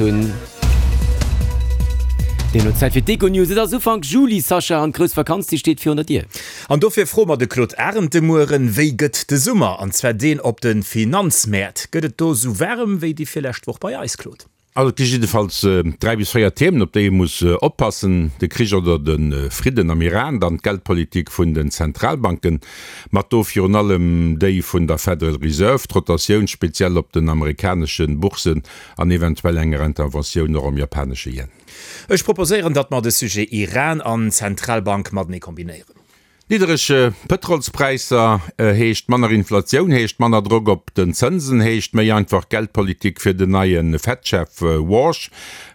hunn. Deemno Zäit fir d'Econews. Et ass Ufank Juli, Sascha, an d'grouss Vakanz, déi steet virun der Dier. An dofir froe mer de Claude Arend de Mueren, Wéi gëtt de Summer, an zwar deen op de Finanzmäert? Gëtt et do sou waarem wéi déi virlescht Woch bei eis, Claude? Also et gi jiddefalls 3 bis 4 Themen, op déi ee muss oppassen, de Krich oder de Fridden am Iran, dann d'Geldpolitik vun den Zentralbanken, mat do virun allem déi vun der Federal Reserve, d'Rotatioun speziell op den amerikanesche Boursen an eventuell enger Interventioun och am japanesche Yen. Ech proposéieren, datt mer de Sujet Iran an Zentralbank matenee kombinéieren. Niddereg Pëtrolspräisser heescht manner Inflatioun, heescht manner Drock op den Zënsen, heescht méi einfach Geldpolitik fir den neie Fed-Chef Warsh.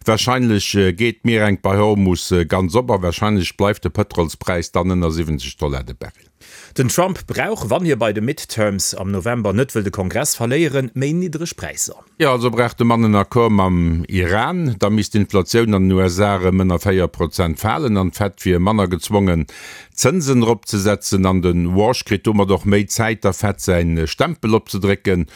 Warscheinlech geet d'Mierengt bei Hormus ganz op a warscheinlech bleift de Pëtrolspräis dann ënner 70 Dollar de Barrel. Den Trump brauch, wann hie bei de Midterms am November net wëll de Kongress verléieren, méi niddreg Präisser. Jo, also brauch de Mann en Accord mam Iran. Da misst d'Inflatioun an den USA erëm ënner 4 Prozent falen an d'Fed wier manner gezwongen, d'Zënsen eropzesetzen. An de Warsh kritt domat och méi Zäit, der Fed säin Stempel opzedrécken.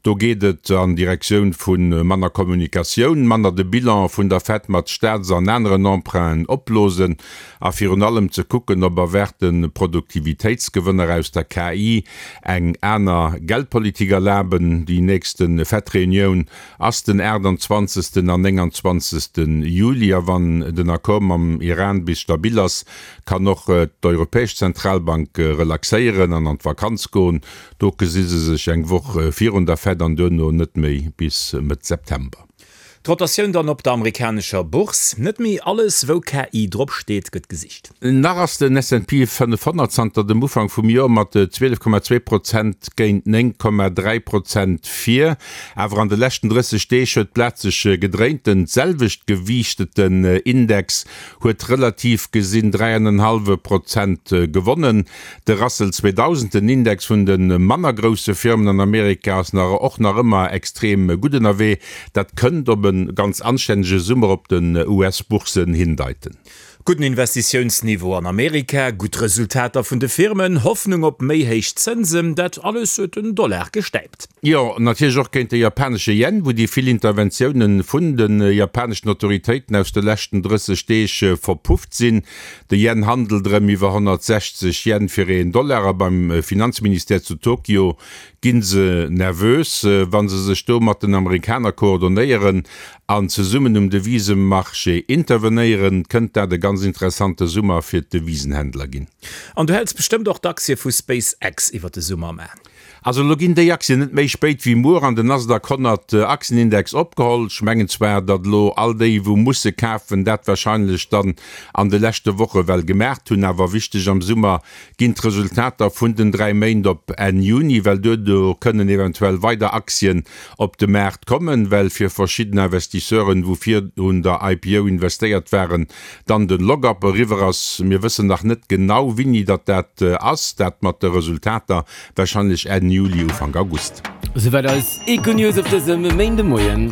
Do geet et an Direktioun vu manner Kommunikatioun, manner de Bilan vun der Fed mat Staats an aneren Emprunten opblosen a virun allem ze kucken, ob erwaarte Produktivitéitsgewënner aus der KI eng aner Geldpolitik erlaben. Déi nächste Fed-Reunioun ass den 28. an 29. Juli a wann den Accord mam Iran bis stabil ass, kann och d'Europäesch Zentralbank relaxéieren an an d'Vakanz goen. Do gesi se sech eng Woch virun der Fed an duerno net méi bis Mëtt September. D'Rotatioun dann op der amerikanescher Bourse, Net méi alles wou KI drop steet gëtt gesicht. Nach ass den S&P 500 zanter dem Ufank vum Joer mat 12,2 Prozent géint 9,3 Prozent vir. Awer an de leschten 30 Deeg huet d'Blat sech gedréint. Den selwecht gewiichteten Index huet relativ gesinn 3,5 Prozent gewonnen. De Russell 2000, den Index vun de manner grousse Firmen an Amerika, ass nach och nach ëmmer extrem gutt ënnerwee. Dat kënnt op e ganz anstännege Summer op den US-Bourssen hindeiten. Gudden Investitiounsniveau an Amerika, gutt Resultater vun de Firmen, Hoffnung op méi héich Zënsen, dat alles huet den Dollar gestäipt. Jo, natierlech och géint de japanesche Yen, wou déi vill Interventioune vun de japaneschen Autoritéiten aus de leschten 30 Deeg verpufft sinn. De Yen handelt erëm iwwer 160 Yen fir een Dollar a beim Finanzministère zu Tokio gi se nervös, wa se sech do mat den Amerikaner koordonéieren an zesummen um Devisemarché intervenéieren, kënnt dat e ganz interessante Summer fir d'Devisenhändler ginn. An du häls bestëmmt och d'Aktie vu SpaceX iwwer de Summer am A? Also elo ginn déi Aktien net méi spéit wéi muer an den Nasdaq 100 Aktienindex opgeholl. Ech mengen zwar, datt elo all déi wou musse kafen, dat wahrscheinlech dann an de leschte Woche well gemaacht hunn. Awer wichteg am Summer ginn d'Resultater vun den 3 Méint op Enn Juni, well duerno kënnen eventuell weider Aktien op de Maart kommen, well fir verschidden Investisseuren, wou virun der IPO investéiert waren, dann den Lock-up eriwwer ass. Mir wëssen nach net genau wini datt dat ass, dat mat de Resultater, Wahrscheinlech Enn Juli, Ufank August. Esouwäit eis Econews op dësem Méindemoien.